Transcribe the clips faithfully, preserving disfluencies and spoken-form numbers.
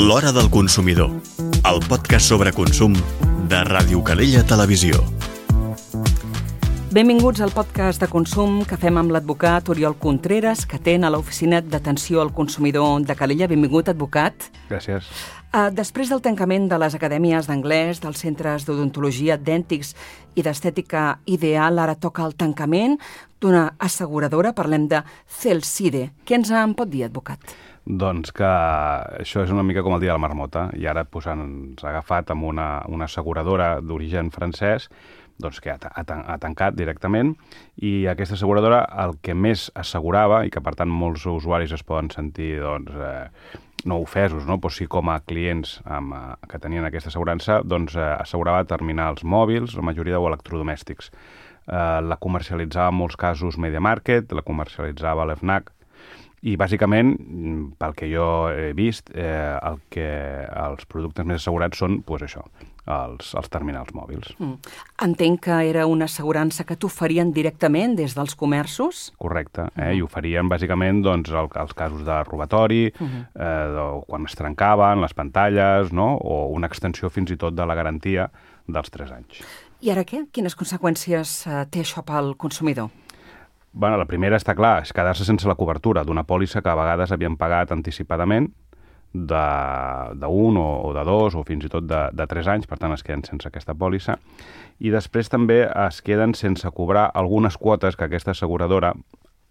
L'Hora del Consumidor, el podcast sobre consum de Ràdio Calella Televisió. Benvinguts al podcast de consum que fem amb l'advocat Oriol Contreras, que atén a l'Oficina d'Atenció al Consumidor de Calella. Benvingut, advocat. Gràcies. Uh, després del tancament de les acadèmies d'anglès, dels centres d'odontologia, dèntics i d'estètica ideal, ara toca el tancament d'una asseguradora. Parlem de Celside. Què ens en pot dir, advocat? Doncs que això és una mica com el dia de la marmota, i ara pues, ens ha agafat amb una, una asseguradora d'origen francès doncs, que ha, ha, ha tancat directament, i aquesta asseguradora el que més assegurava, i que per tant molts usuaris es poden sentir doncs, eh, no ofesos, no? Però sí com a clients amb, eh, que tenien aquesta assegurança, doncs eh, assegurava terminals mòbils, la majoria o electrodomèstics. Eh, la comercialitzava en molts casos Media Market, la comercialitzava l'FNAC, i bàsicament, pel que jo he vist, eh, el que els productes més assegurats són pues, això, els, els terminals mòbils. Mm. Entenc que era una assegurança que t'oferien directament des dels comerços? Correcte, eh? Mm. I oferien bàsicament doncs, el, els casos de robatori, mm-hmm. eh, o quan es trencaven les pantalles, no? O una extensió fins i tot de la garantia dels tres anys. I ara què? Quines conseqüències eh, té això pel consumidor? Bueno, la primera està clar, és quedar-se sense la cobertura d'una pòlissa que a vegades havien pagat anticipadament d'un o, o de dos o fins i tot de, de tres anys, per tant es queden sense aquesta pòlissa. I després també es queden sense cobrar algunes quotes que aquesta asseguradora,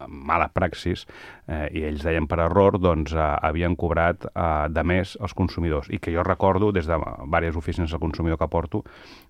mala praxis, eh, i ells deien per error, doncs eh, havien cobrat eh, de més als consumidors. I que jo recordo, des de diverses oficines del consumidor que porto,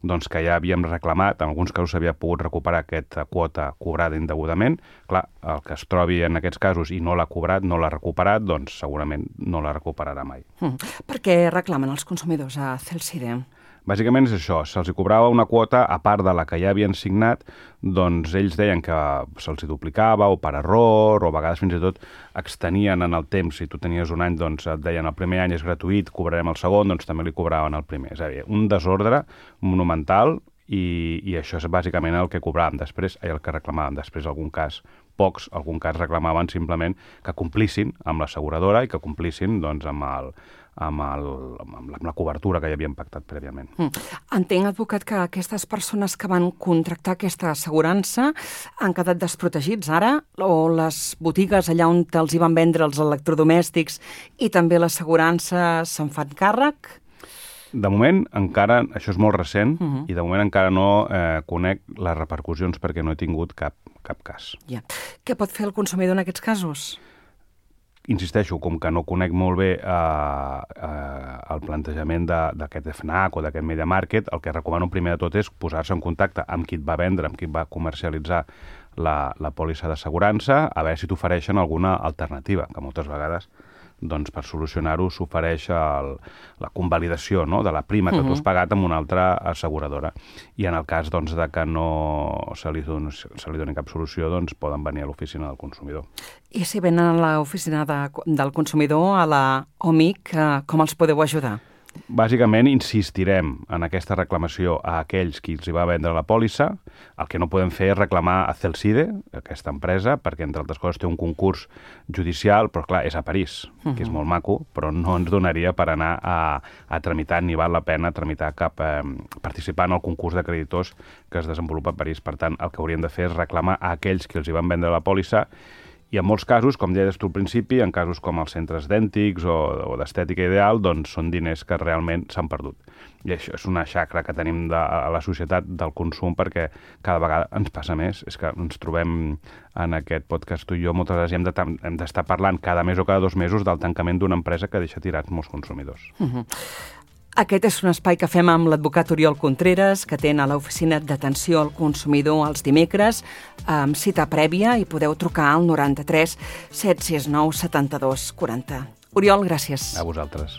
doncs que ja havíem reclamat, en alguns casos s'havia pogut recuperar aquesta quota cobrada indegudament. Clar, el que es trobi en aquests casos i no l'ha cobrat, no l'ha recuperat, doncs segurament no la recuperarà mai. Mm. Per què reclamen els consumidors a Celside? Bàsicament és això, se'ls cobrava una quota a part de la que ja havien signat, doncs ells deien que se'ls duplicava o per error, o a vegades fins i tot extenien en el temps. Si tu tenies un any, doncs et deien el primer any és gratuït, cobrarem el segon, doncs també li cobraven el primer. És a dir, un desordre monumental, i, i això és bàsicament el que cobràvem després, i el que reclamàvem després, algun cas, pocs, algun cas reclamaven simplement que complissin amb l'asseguradora i que complissin doncs, amb, el, amb, el, amb, la, amb la cobertura que ja havien pactat prèviament. Mm. Entenc, advocat, que aquestes persones que van contractar aquesta assegurança han quedat desprotegits ara, o les botigues allà on els hi van vendre els electrodomèstics i també l'assegurança se'n fan càrrec? De moment, encara, això és molt recent, uh-huh. i de moment encara no eh, conec les repercussions perquè no he tingut cap, cap cas. Ja. Què pot fer el consumidor en aquests casos? Insisteixo, com que no conec molt bé eh, eh, el plantejament d'aquest FNAC o d'aquest Media Market, el que recomano primer de tot és posar-se en contacte amb qui et va vendre, amb qui va comercialitzar la, la pòlissa d'assegurança, a veure si t'ofereixen alguna alternativa, que moltes vegades doncs per solucionar-ho s'ofereix el, la convalidació, no?, de la prima que uh-huh. tu has pagat amb una altra asseguradora. I en el cas doncs, de que no se li, doni, se li doni cap solució, doncs poden venir a l'oficina del consumidor. I si venen a l'oficina de, del consumidor, a la O M I C, com els podeu ajudar? Bàsicament insistirem en aquesta reclamació a aquells qui els hi va vendre la pòlissa. El que no podem fer és reclamar a Celside, aquesta empresa, perquè entre altres coses té un concurs judicial, però clar, és a París, uh-huh. que és molt maco, però no ens donaria per anar a, a tramitar, ni val la pena tramitar cap, eh, participar en el concurs de creditors que es desenvolupa a París. Per tant, el que hauríem de fer és reclamar a aquells qui els hi van vendre la pòlissa. I en molts casos, com deies tu al principi, en casos com els centres dèntics o, o d'estètica ideal, doncs són diners que realment s'han perdut. I això és una xacra que tenim de, a la societat del consum, perquè cada vegada ens passa més. És que ens trobem en aquest podcast tu i jo moltes vegades hem de, hem d'estar parlant cada mes o cada dos mesos del tancament d'una empresa que deixa tirats molts consumidors. Uh-huh. Aquest és un espai que fem amb l'advocat Oriol Contreras, que atén a l'Oficina d'Atenció al Consumidor els dimecres, amb cita prèvia, i podeu trucar al noranta-tres set sis nou setanta-dos quaranta. Oriol, gràcies. A vosaltres.